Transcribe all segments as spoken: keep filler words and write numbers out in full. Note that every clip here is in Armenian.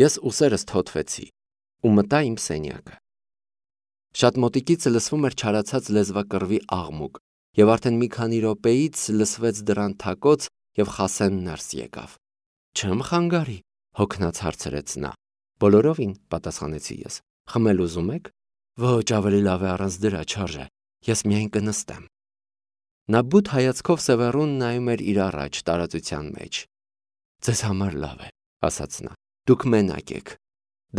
Ես ուսերս թոթվեցի ու մտա իմ սենյակը։ Շատ մոտիկից լսվում էր չարացած լեզվակռվի աղմուկ, եւ արդեն մի քանի րոպեից լսվեց դռան թակոց եւ Խասեն ներս եկավ։ Չեմ խանգարի, հոգնած հարցրեց նա։ Բոլորովին, պատասխանեցի ես։ Խմել ուզում եք։ Ոչ, ավելի լավ է առանց դրա, չարժե։ Ես միայն կնստեմ։ Նա բութ հայացքով Սևեռուն նայում էր իր առաջ տարածության մեջ։ Ձեզ համար լավ է, ասաց նա։ Դուք մենակ եք։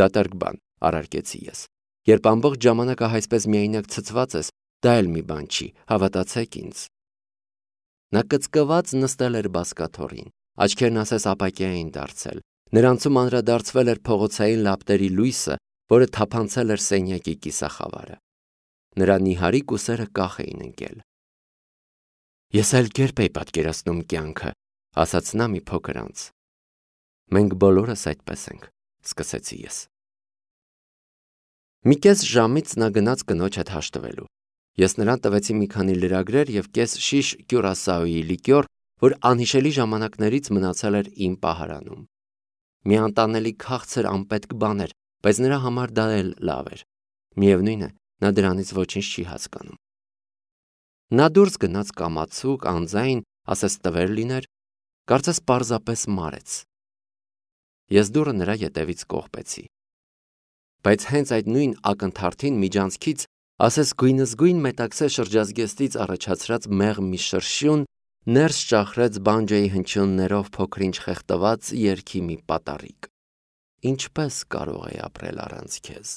Դատարկ բան, առարկեցի ես։ Երբ ամբողջ ժամանակը այսպես միայնակ ցցված ես, դա էլ մի բան չի, հավատացեք ինձ։ Նա կծկված նստել էր բազկաթոռին, աչքերն ասես ապակյա էին դարձել, նրանցում անդրադարձվել էր փողոցային լապտերի լույսը, որը թափանցել էր սենյակի կիսախավարը։ Նրա նիհարիկ ուսերը կախ էին ընկել։ Ես այլ կերպ էի պատկերացնում կյանքը, ասաց նա մի փոքր անց։ Մենք բոլորս այդպես ենք, սկսեցի ես։ Մի կես ժամից նա գնաց կնոջ հետ հաշտվելու։ Ես նրան տվեցի մի քանի լրագրեր եւ կես շիշ կյուրասաուի լիկյոր, որ անհիշելի ժամանակներից մնացել էր իմ պահարանում։ Մի անտանելի քաղցր անպետք բան էր, բայց նրա համար դա էլ լավ էր։ Միևնույն է, նա դրանից ոչինչ չի հասկանում։ Նա դուրս գնաց կամացուկ, անձայն, ասես տվեր լիներ, կարծես պարզապես մարեց։ Ես դուռը նրա ետևից կողպեցի։ Բայց հենց այդ նույն ակնթարթին միջանցքից, ասես գույնզգույն մետաքսե շրջազգեստից առաջացրած մեղմ մի շրշյուն ներս ճախրեց բանջոյի հնչյուններով փոքրինչ խեղդված երգի մի պատառիկ։ Ինչպես կարող է ապրել առանց քեզ։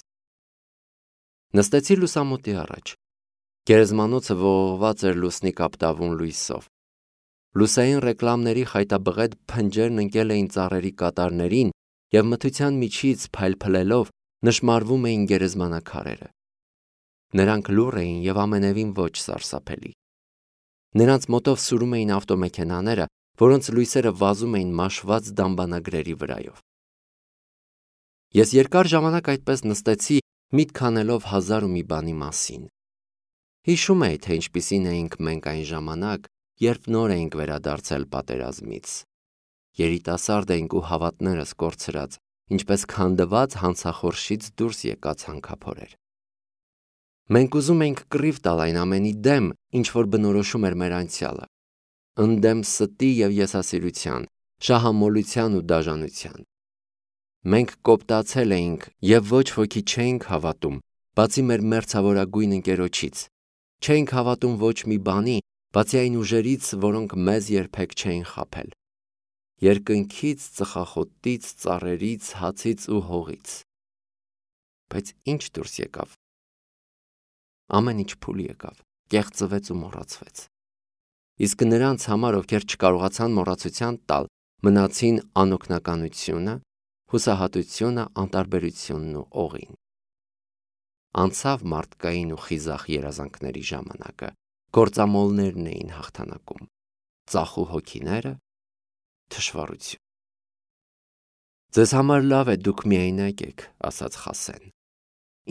Նստեցի լուսամուտի առաջ։ Գերեզմանոցը ողողված էր լուսնի կապտավուն լույսով։ Լուսային ռեկլամների խայտաբղետ փնջերն ընկել էին ծառերի կատարներին եւ մթության միջից փայլփլելով նշմարվում էին գերեզմանակարերը։ Նրանք լուռ էին եւ ամենևին ոչ սարսափելի։ Նրանց մոտով սուրում էին ավտոմեքենաները, որոնց լույսերը վազում էին մաշված դամբանագրերի վրայով։ Ես երկար ժամանակ այդպես նստեցի, միտք անելով հազար ու մի բանի մասին։ Հիշում էի, թե ինչպիսին էինք մենք այն ժամանակ, երբ նոր էինք վերադարձել պատերազմից։ Երիտասարդ էինք ու հավատներս կորցրած, ինչպես քանդված հանցախորշից դուրս եկած հանքափորեր։ Մենք ուզում էինք կռիվ տալ այն ամենի դեմ, ինչ որ բնորոշում էր մեր անցյալը, ընդդեմ ստի եւ եսասիրության, շահամոլության ու դաժանության։ Մենք կոպտացել էինք եւ ոչ ոքի չէինք հավատում, բացի մեր մերձավորագույն ընկերոջից։ Չէինք հավատում ոչ մի բանի, բացի այն ուժերից, որոնք մեզ երբեք չէին խաբել։ Երկնքից, ծխախոտից, ծառերից, հացից ու հողից։ Բայց ինչ դուրս եկավ։ Ամեն ինչ փուլ եկավ, կեղծվեց ու մոռացվեց։ Իսկ նրանց համար, ովքեր չկարողացան մոռացության տալ, մնացին անօգնականությունը, հուսահատությունը, անտարբերությունն ու օղին։ Անցավ մարդկային ու խիզախ երազանքների ժամանակը, գործամոլներն էին հաղթանակում, ծախու հոգիները, թշվառություն։ Ձեզ համար լավ է, դուք միայնակ եք, ասաց Խասեն։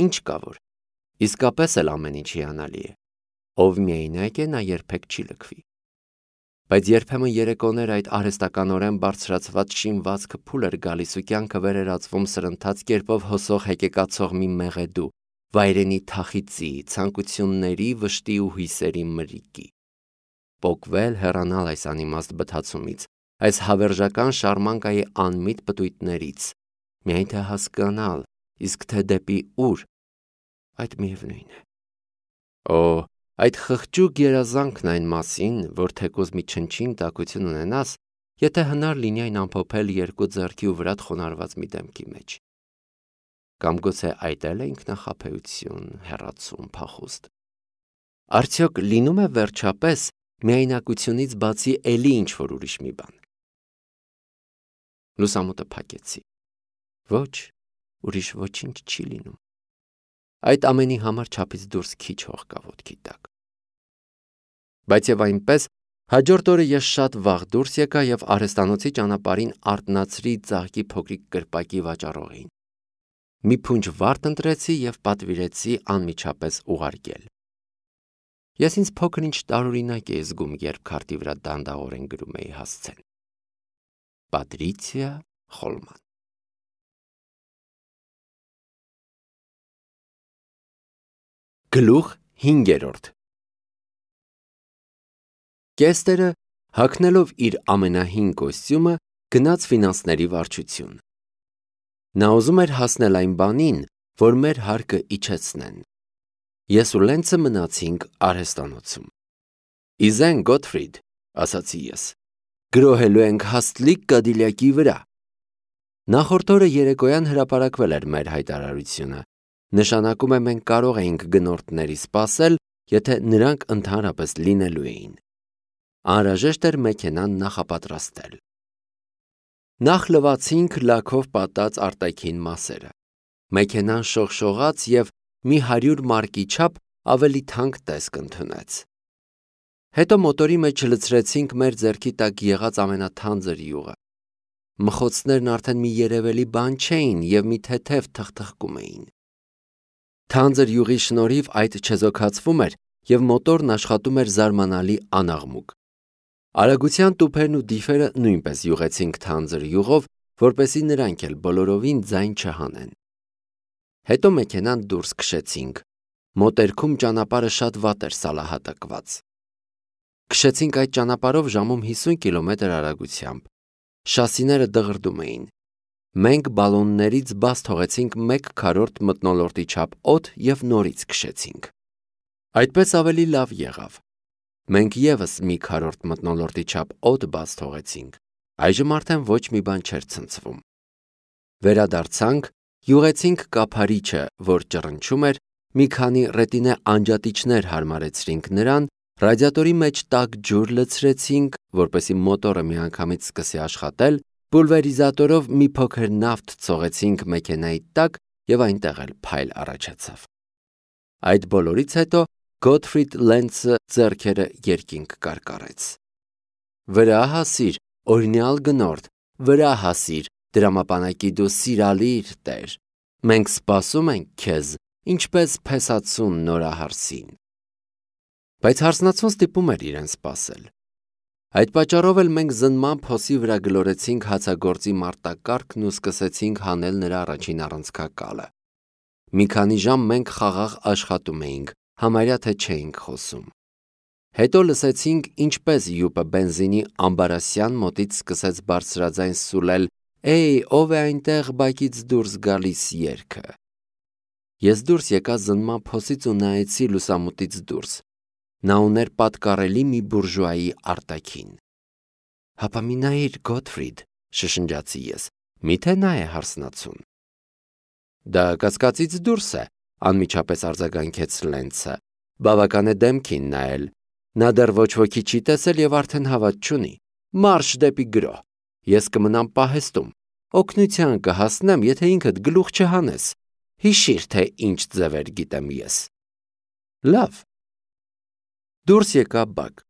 Ինչ կա որ, իսկապես էլ ամեն ինչ հիանալի է։ Ով միայնակ է, նա երբեք չի լքվի։ Բայց երբեմն երեկոներ այդ արհեստականորեն բարձրացված շինվածքը փուլ էր գալիս ու կյանքը վեր էր ածվում սրընթաց կերպով հոսող հեկեկացող մի մեղեդու, վայրենի թախիծի, ցանկությունների, վշտի ու հույսերի մրրիկի։ Պոկվել, հեռանալ այս անիմաստ բթացումից, այս հավերժական շարմանկայի անմիտ պտույտներից, միայն թե հասկանալ, իսկ թե դեպի ուր, այդ միևնույն է։ Օ, այդ խղճուկ երազանքն այն մասին, որ թեկուզ մի չնչին տակություն ունենաս, եթե հնար լինի այն ամփոփել երկու ձեռքի ու վրատ խոնարհված մի դեմքի մեջ։ Կամ գուցե այդ էլ է ինքնախաբեություն, հեռացում, փախուստ։ Արդյոք լինում է վերջապես միայնակությունից բացի էլի ինչ-որ ուրիշ մի բան։ Լուսամուտը փակեցի։ Ոչ, ուրիշ ոչինչ չի լինում։ Այդ ամենի համար չափից դուրս քիչ հող կա ոտքի տակ։ Բայց եւ այնպես հաջորդ օրը ես շատ վաղ դուրս եկա եւ արհեստանոցի ճանապարհին արթնացրի ծաղկի փոքրիկ կրպակի վաճառողին։ Մի փունջ վարդ ընտրեցի եւ պատվիրեցի անմիջապես ուղարկել։ Ես ինձ փոքր-ինչ տարօրինակ էի զգում, երբ քարտի վրա դանդաղորեն գրում էի հասցեն։ Պատրիցիա Խոլման։ Գլուխ հինգերորդ Կեստերը, հագնելով իր ամենահին կոստյումը, գնաց ֆինանսների վարչություն։ Նա ուզում էր հասնել այն բանին, որ մեր հարկը իջեցնեն։ Ես ու Լենցը մնացինք արհեստանոցում։ Իզեն Գոթֆրիդ, ասացի ես, գրոհելու ենք հաստլիկ Կադիլյակի վրա։ Նախորդ օրը երեկոյան հրապարակվել էր մեր հայտարարությունը։ Նշանակում է մենք կարող էինք գնորդների սպասել, եթե նրանք ընդհանրապես լինելու էին։ Անհրաժեշտ էր մեքենան նախապատրաստել։ Նախ լվացինք լաքով պատած արտաքին մասերը։ Մեքենան շողշողաց և մի հարյուր մարկի չափ ավելի թանկ տեսք ընդունեց։ Հետո մոտորի մեջ լցրեցինք մեր ձեռքի տակ եղած ամենաթանձր յուղը։ Մխոցներն արդեն մի երևելի բան չէին և մի թեթև թխթխկում էին։ Թանձր յուղի շնորհիվ այդ չեզոքացվում էր և մոտորն աշխատում էր զարմանալի անաղմուկ։ Արագության տուփերն ու դիֆերը նույնպես յուղեցինք թանձր յուղով, որպեսզի նրանք էլ բոլորովին ձայն չհանեն։ Հետո մեքենան դուրս քշեցինք։ Մոտերքում ճանապարհը շատ վատ էր սալահատակված։ Քշեցինք այդ ճանապարհով ժամում հիսուն կիլոմետր արագությամբ։ Շասիները դղրդում էին։ Մենք բալոններից բաց թողեցինք մեկ քառորդ մթնոլորտի չափ օդ և նորից քշեցինք։ Այդպես ավելի լավ եղավ։ Մենք ևս մի քառորդ մթնոլորտի չափ օդ բաց թողեցինք։ Այժմ արդեն ոչ մի բան չէր ցնցվում։ Վերադարձանք, յուղեցինք կափարիչը, որ ճռնչում էր, մի քանի ռետինե անջատիչներ հարմարեցրինք նրան, ռադիատորի մեջ տաք ջուր լցրեցինք, որպեսզի մոտորը միանգամից սկսի աշխատել, պուլվերիզատորով մի փոքր նավթ ցողեցինք մեքենայի տակ և այնտեղ էլ փայլ առաջացավ։ Այդ բոլորից հետո Գոթֆրիդ Լենցը ձեռքերը երկինք կարկառեց։ Վրա հասիր, օրինյալ գնորդ, վրա հասիր, դրամապանակի դու սիրալիր տեր։ Մենք սպասում ենք քեզ, ինչպես փեսացուն նորահարսին։ Բայց հարսնացուն ստիպում էր իրեն սպասել։ Այդ պատճառով էլ մենք զննման փոսի վրա գլորեցինք հացագործի մարտակառքն ու սկսեցինք հանել նրա առաջին առանցքակալը։ Մի քանի ժամ մենք խաղաղ աշխատում էինք, համարյա թե չէինք խոսում։ Հետո լսեցինք, ինչպես յուպը բենզինի ամբարասյան մոտից սկսեց բարձրաձայն սուլել «Էյ, ով է այնտեղ բակից դուրս գալիս» երգը։ Ես դուրս եկա զննման փոսից ու նայեցի լուսամուտից դուրս։ Նա ուներ պատկառելի մի բուրժուայի արտաքին։ Հապա մի նայիր, Գոթֆրիդ, շշնջացի ես, միթե նա է հարսնացուն։ Դա կասկածից դուրս է, անմիջապես արձագանքեց Լենցը, բավական է դեմքին նայել։ Նա դեռ ոչ ոքի չի տեսել և արդեն հավատ չունի։ Մարշ դեպի գրոհ։ Ես կմնամ պահեստում։ Օգնության կհասնեմ, եթե ինքդ գլուխ չհանես։ Հիշիր, թե ինչ ձևեր գիտեմ ես։ Լավ։ Դուրս եկա բակ։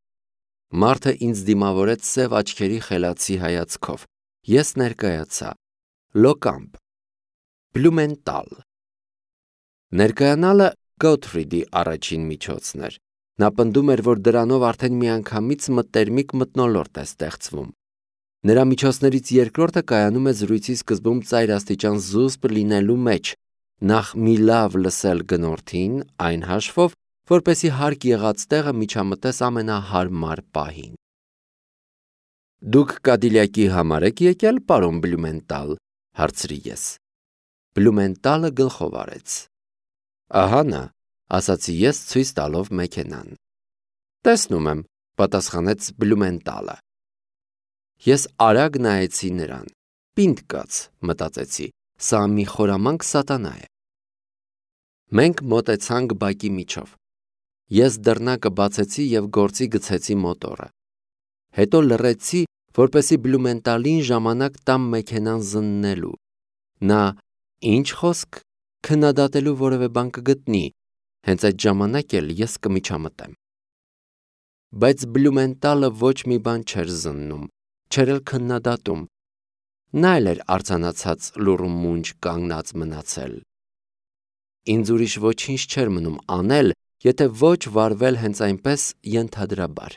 Մարդը ինձ դիմավորեց սև աչքերի խելացի հայացքով։ Ես ներկայացա։ Լոկամպ։ Բլումենտալ։ Ներկայանալը Գոթֆրիդի առաջին միջոցն էր։ Նա պնդում էր, որ դրանով արդեն միանգամից մտերմիկ մթնոլորտ է ստեղծվում։ Նրա միջոցներից երկրորդը կայանում է զրույցի սկզբում ծայրաստիճան զուսպ լինելու մեջ, նախ մի լավ լսել գնորդին, այն հաշվով, որպեսզի հարկ եղած տեղը միջամտես ամենահարմար պահին։ Դուք Կադիլյակի համար եք եկել, պարոն Բլումենտալ, հարցրի ես։ Բլումենտալը գլխով արեց։ Ահա նա, ասացի ես ցույց տալով մեքենան։ Տեսնում եմ, պատասխանեց Բլումենտալը։ Ես արագ նայեցի նրան։ Պինդ կաց, մտածեցի, սա մի խորամանկ սատանա է։ Մենք մոտեցանք բակի միջով։ Ես դռնակը բացեցի և գործի գցեցի մոտորը։ Հետո լռեցի, որպեսզի Բլումենտալին ժամանակ տամ մեքենան զննելու։ Նա ինչ խոսք, քննադատելու որևէ բան կգտնի, հենց այդ ժամանակ էլ ես կմիջամտեմ։ Բայց Բլումենտալը ոչ մի բան չէր զննում, չէր էլ քննադատում։ Նա էլ էր արձանացած լուռ ու մունջ կանգնած մնացել։ Ինձ ուրիշ ոչինչ չէր մնում անել, եթե ոչ վարվել հենց այնպես ենթադրաբար։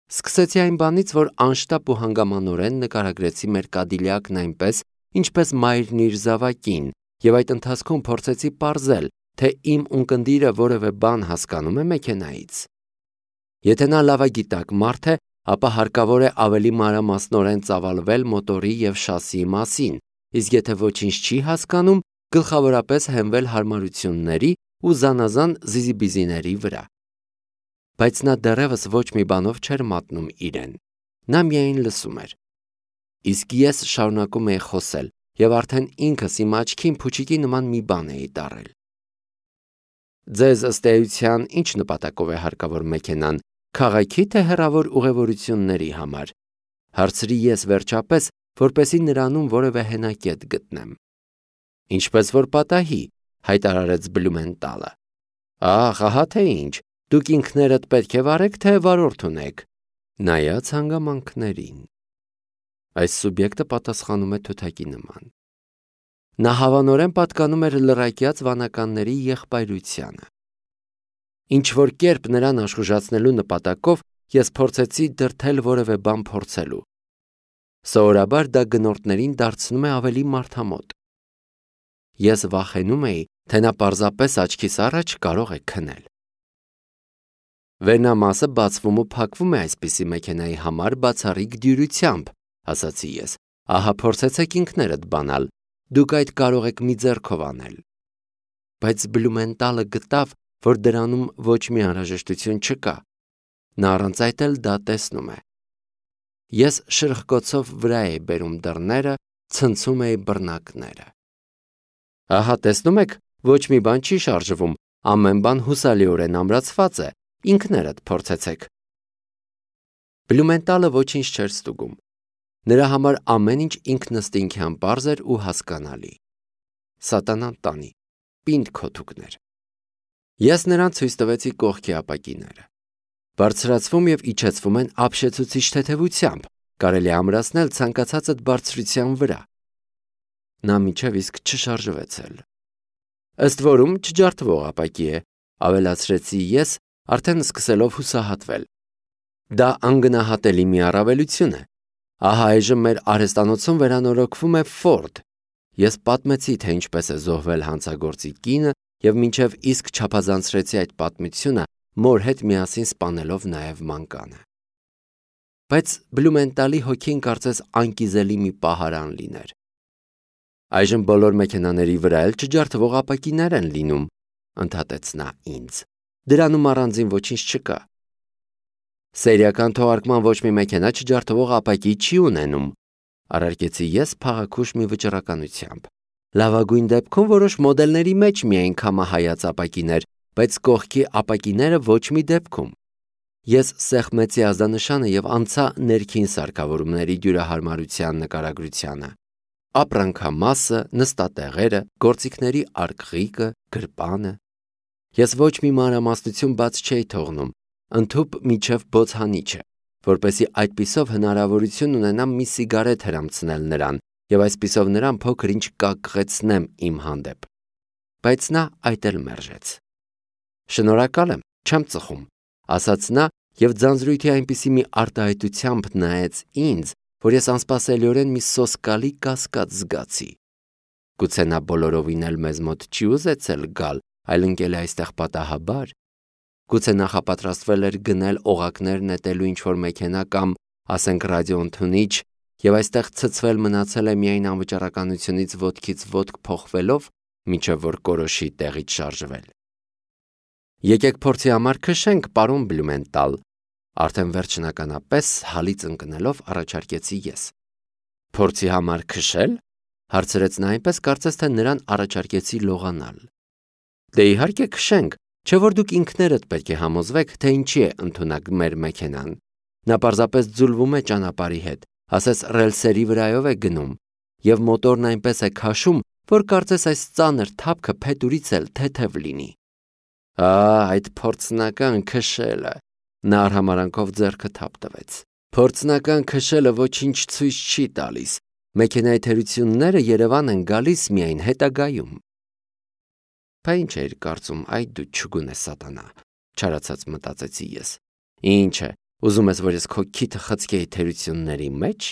Սկսեցի այն բանից, որ անշտապ ու հանգամանորեն նկարագրեցի մեր Կադիլյակն այնպես, ինչպես մայրն իր զավակին, և այդ ընթացքում փորձեցի պարզել, թե իմ ունկնդիրը որևէ բան հասկանում է մեքենայից։ Եթե նա լավագիտակ մարդ է, ապա հարկավոր է ավելի մանրամասնորեն ծավալվել մոտորի և շասիի մասին, իսկ եթե ոչինչ չի հասկանում, գլխավորապես հենվել հարմարությունների ու զանազան զիզիբիզիների վրա։ Բայց նա դեռևս ոչ մի բանով չէր մատնում իրեն, նա միայն լսում էր։ Իսկ ես շարունակում էի խոսել և արդեն ինքս իմ աչքին փուչիկի նման մի բան էի տառել։ Ձեզ ըստ էության ինչ նպատակով է հարկավոր մեքենան, քաղաքի թե հեռավոր ուղևորությունների համար, հարցրի ես վերջապես, որպեսզի նրանում որևէ հենակետ գտնեմ։ Ինչպես որ պատահի, հայտարարեց Բլումենտալը։ Ահ, ահա թե ինչ, դուք ինքներդ պետք է վարեք, թե վարորդ ունեք։ Նայած հանգամանքներին։ Այս սուբյեկտը պատասխանում է թութակի նման։ Նա հավանորեն պատկանում էր լռակյաց վանականների եղբայրությանը։ Ինչ-որ կերպ նրան աշխուժացնելու նպատակով ես փորձեցի դրդել որևէ բան փորձելու։ Սովորաբար դա գնորդներին դարձնում է ավելի մարդամոտ։ Ես վախենում էի, թե նա պարզապես աչքիս առաջ կարող է քնել։ Վերնամասը բացվում ու փակվում է այսպիսի մեքենայի համար բացառիկ դյուրությամբ, ասացի ես, ահա փորձեցեք ինքներդ բանալ, դուք այդ կարող եք մի ձեռքով անել։ Բայց Բլումենտալը գտավ, որ դրանում ոչ մի անհրաժեշտություն չկա, նա առանց այդ էլ դա տեսնում է։ Ես շրխկոցով վրա էի բերում դռները, ցնցում էի բռնակները։ Ահա տեսնում եք, ոչ մի բան չի շարժվում, ամեն բան հուսալիորեն ամրացված է, ինքներդ փորձեցեք։ Բլումենտալը ոչինչ չէր ստուգում։ Նրա համար ամեն ինչ ինքնըստինքյան պարզ էր ու հասկանալի։ Սատանան տանի, պինդ քոթուկներ։ Ես նրան ցույց տվեցի կողքի ապակիները։ Բարձրացվում և իջեցվում են ապշեցուցիչ թեթևությամբ, կարելի է ամրացնել ցանկացածդ բարձրության վրա։ Նա մինչև իսկ չշարժվեց էլ։ Ըստ որում չջարդվող ապակի է, ավելացրեցի ես, արդեն սկսելով հուսահատվել։ Դա անգնահատելի մի առավելություն է։ Ահա այժմ մեր արհեստանոցում վերանորոգվում է Ֆորդ։ Ես պատմեցի, թե ինչպես է զոհվել հանցագործի կինը և մինչև իսկ չափազանցրեցի այդ պատմությունը, մոր հետ միասին սպանելով նաև մանկանը։ Բայց Բլումենտալի հոգին կարծես անկիզելի մի պահարան լիներ։ Այժմ բոլոր մեքենաների վրա էլ չջարդվող ապակիներ են լինում, ընդհատեց նա ինձ։ Դրանում առանձին ոչինչ չկա։ Սերիական թողարկման ոչ մի մեքենա չջարդվող ապակի չի ունենում, առարկեցի ես փաղաքուշ մի վճռականությամբ։ Լավագույն դեպքում որոշ մոդելների մեջ միայն քամահայաց ապակիներ, բայց կողքի ապակիները ոչ մի դեպքում։ Ես սեղմեցի ազդանշանը և անցա ներքին սարքավորումների դյուրահարմարության նկարագրությանը։ Ապրանքամասը, նստատեղերը, գործիքների արկղիկը, գրպանը։ Ես ոչ մի մանրամասնություն բաց չէի թողնում, ընդհուպ միջև բոցհանիչը, որպեսզի այդպիսով հնարավորություն ունենամ մի սիգարետ հրամցնել նրան և այսպիսով նրան փոքր-ինչ կակղեցնեմ իմ հանդեպ։ Բայց նա այդ էլ մերժեց։ Շնորհակալ եմ, չեմ ծխում, ասաց նա և ձանձրույթի այնպիսի մի արտահայտությամբ նայեց ինձ, որ ես անսպասելիորեն մի սոսկալի կասկած զգացի։ Գուցե նա բոլորովին էլ մեզ մոտ չի ուզեցել գալ, այլ ընկել է այստեղ պատահաբար։ Գուցե նախապատրաստվել էր գնել օղակներ նետելու ինչ-որ մեքենա կամ, ասենք, ռադիոընդունիչ և այստեղ ցցվել մնացել է միայն անվճռականությունից ոտքից ոտք փոխվելով, մինչև որ կորոշի տեղից շարժվել։ Եկեք փորձի համար քշենք, պարոն Բլումենտալ, արդեն վերջնականապես հալից ընկնելով առաջարկեցի ես։ Փորձի համար քշել, հարցրեց նա այնպես, կարծես թե նրան առաջարկեցի լողանալ։ Դե իհարկե քշենք, չէ որ դուք ինքներդ պետք է համոզվեք, թե ինչի է ընդունակ մեր մեքենան։ Նա պարզապես ձուլվում է ճանապարհի հետ, ասես ռելսերի վրայով է գնում, և մոտորն այնպես է քաշում, որ կարծես այս ծանր թափքը փետուրից էլ թեթև լինի։ Ա, այդ փորձնական քշելը, նա արհամարանքով ձեռքը թափ տվեց։ Փորձնական քշելը ոչինչ ցույց չի տալիս, մեքենայի թերությունները Երևան են գալիս միայն հետագայում։ Բա ինչ էիր կարծում, այ դու չգունե սատանա, չարացած մտածեցի ես։ Ինչ է, ուզում ես, որ ես քո քիթը խցկեի թերությունների մեջ։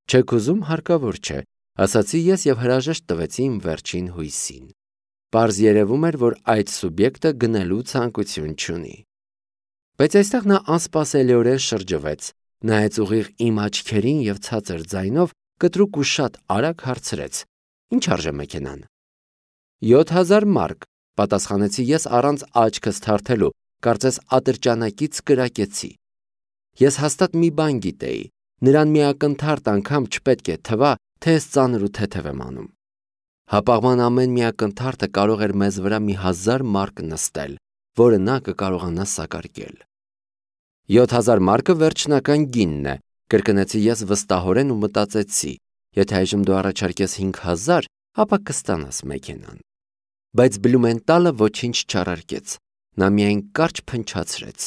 Չեք ուզում, հարկավոր չէ, ասացի ես և հրաժեշտ տվեցի իմ վերջին հույսին։ Պարզ երևում էր, որ այդ սուբյեկտը գնելու ցանկություն չունի։ Բայց այստեղ նա անսպասելիորեն շրջվեց, նայեց ուղիղ իմ աչքերին եւ ցածր ձայնով կտրուկ ու շատ արագ հարցրեց. «Ինչ արժե մեքենան»։ «յոթ հազար մարկ», պատասխանեցի ես առանց աչքս թարթելու, կարծես ատրճանակից կրակեցի։ Ես հաստատ մի բան գիտեի, նրան մի ակնթարթ անգամ չպետք է թվա, թե ես ծանր ու թեթև եմ անում։ Հապաղման ամեն մի ակնթարթը կարող էր մեզ վրա մի հազար մարկ նստել, որը նա կկարողանա սակարկել։ «յոթ հազար մարկը վերջնական գինն է», կրկնեցի ես վստահորեն ու մտածեցի, եթե այժմ դու առաջարկես հինգ հազար, ապա կստանաս մեքենան։ Բայց Բլումենտալը ոչինչ չառարկեց, նա միայն կարճ փնչացրեց.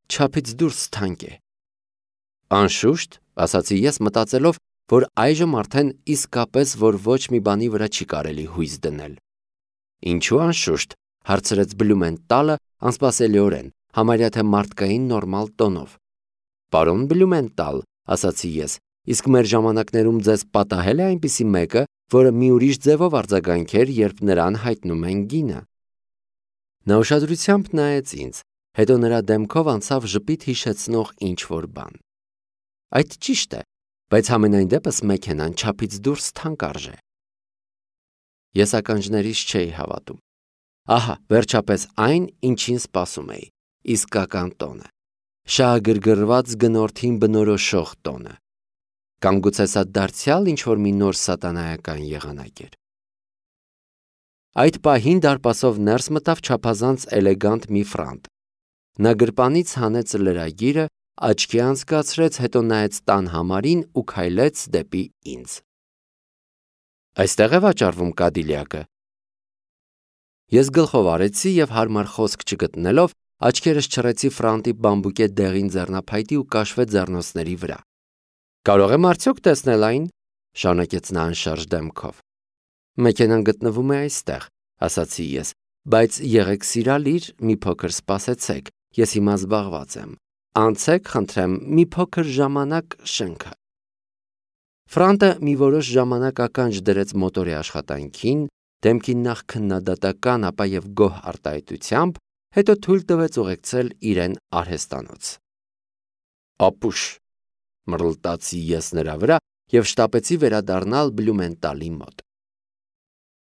«Չափից դուրս թանկ է»։ «Անշուշտ», ասացի ես մտածելով, որ այժմ արդեն իսկապես որ ոչ մի բանի վրա չի կարելի հույս դնել։ «Ինչու անշուշտ», հարցրեց Բլումենտալը անսպասելիորեն, համարյա թե մարդկային նորմալ տոնով։ «Պարոն Բլումենտալ», ասացի ես, իսկ մեր ժամանակներում ձեզ պատահել է այնպիսի մեկը, որը մի ուրիշ ձևով արձագանքեր, երբ նրան հայտնում են գինը։ Նա ուշադրությամբ նայեց ինձ, հետո նրա դեմքով անցավ ժպիտ հիշեցնող ինչ-որ բան։ «Այդ ճիշտ է, բայց համենայն դեպս մեքենան չափից դուրս թանկ արժե»։ Ես ականջներիս չէի հավատում։ Ահա, վերջապես այն, ինչին սպասում էի, իսկական տոնը, շահագրգռված գնորդին բնորոշող տոնը։ Կամ գուցե սա դարձյալ ինչ-որ մի նոր սատանայական եղանակ էր։ Այդ պահին դարպասով ներս մտավ չափազանց էլեգանտ մի ֆրանտ։ Նա գրպանից հանեց լրագիրը, աչքի անցկացրեց, հետո նայեց տան համարին ու քայլեց դեպի ինձ։ «Այստեղ է վաճառվում Կադիլյակը»։ Ես գլխով արեցի եւ հարմար խոսք չգտնելով, աչքերս չռեցի ֆրանտի բամբուկե դեղին ձեռնափայտի ու կաշվե ձեռնոցների վրա։ «Կարող եմ արդյոք տեսնել այն», շարունակեց նա անշարժ դեմքով։ «Մեքենան գտնվում է այստեղ», ասացի ես, «բայց եղեք սիրալիր, մի փոքր սպասեցեք, ես հիմա զբաղված եմ։ Անցեք, խնդրեմ, մի փոքր ժամանակ շենքը»։ Ֆրանտը մի որոշ ժամանակ ականջ դրեց մոտորի աշխատանքին, դեմքին նախ քննադատական, ապա եւ գոհ արտահայտությամբ, հետո թույլ տվեց ուղեկցել իրեն արհեստանոց։ «Ապուշ», մռլտացի ես նրա վրա եւ շտապեցի վերադառնալ Բլումենտալի մոտ։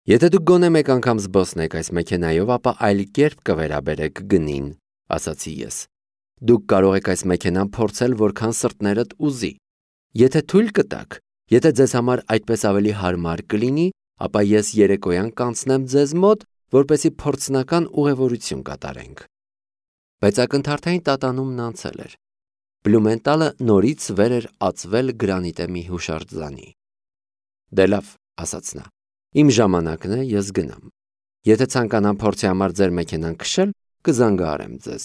«Եթե դուք գոնե մեկ անգամ զբոսնեք այս մեքենայով, ապա այլ կերպ կվերաբերեք գնին», ասացի ես։ «Դուք կարող եք այս մեքենան փորձել, որքան սրտներդ ուզի։ Եթե թույլ կտաք, եթե ձեզ համար այդպես ավելի հարմար կլինի, ապա ես երեկոյան կանցնեմ ձեզ մոտ, որպեսզի փորձնական ուղևորություն կատարենք»։ Բայց ակնթարթային տատանումն անցել էր։ Բլումենտալը նորից վեր էր ածվել գրանիտե մի հուշարձանի։ «Դե լավ», ասաց նա, «իմ ժամանակն է, ես գնամ։ Եթե ցանկանամ փորձի համար ձեր մեքենան քշել, կզանգահարեմ ձեզ»։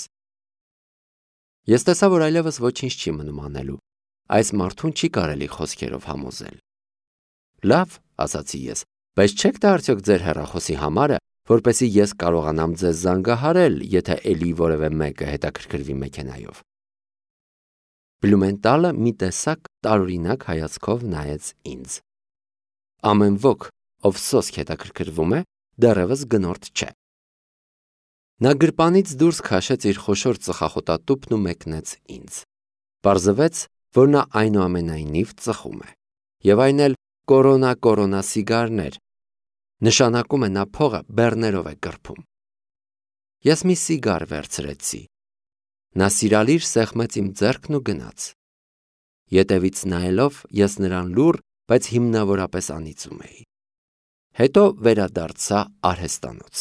Ես տեսա, որ այլևս ոչինչ չի մնում անելու։ Այս մարդուն չի կարելի խոսքերով համոզել։ «Լավ», ասացի ես, «բայց չեք տա արդյոք ձեր հեռախոսի համարը, որպեսզի ես կարողանամ ձեզ զանգահարել, եթե էլի որևէ մեկը հետաքրքրվի մեքենայով»։ Բլումենտալը մի տեսակ տարօրինակ հայացքով նայեց ինձ։ «Ամեն ոք, ով սոսկ հետաքրքրվում է, դեռևս գնորդ չէ»։ Նա գրպանից դուրս քաշեց իր խոշոր ծխախոտատուփն ու մեկնեց ինձ։ Պարզվեց, որ նա այնուամենայնիվ ծխում է։ Եվ այն էլ կորոնա-կորոնա սիգարներ։ Նշանակում է նա փողը բեռներով է կրփում։ Ես մի սիգար վերցրեցի։ Նա սիրալիր սեղմեց իմ ձեռքն ու գնաց։ Ետևից նայելով ես նրան լուռ, բայց հիմնավորապես անիծում էի։ Հետո վերադարձա արհեստանոց։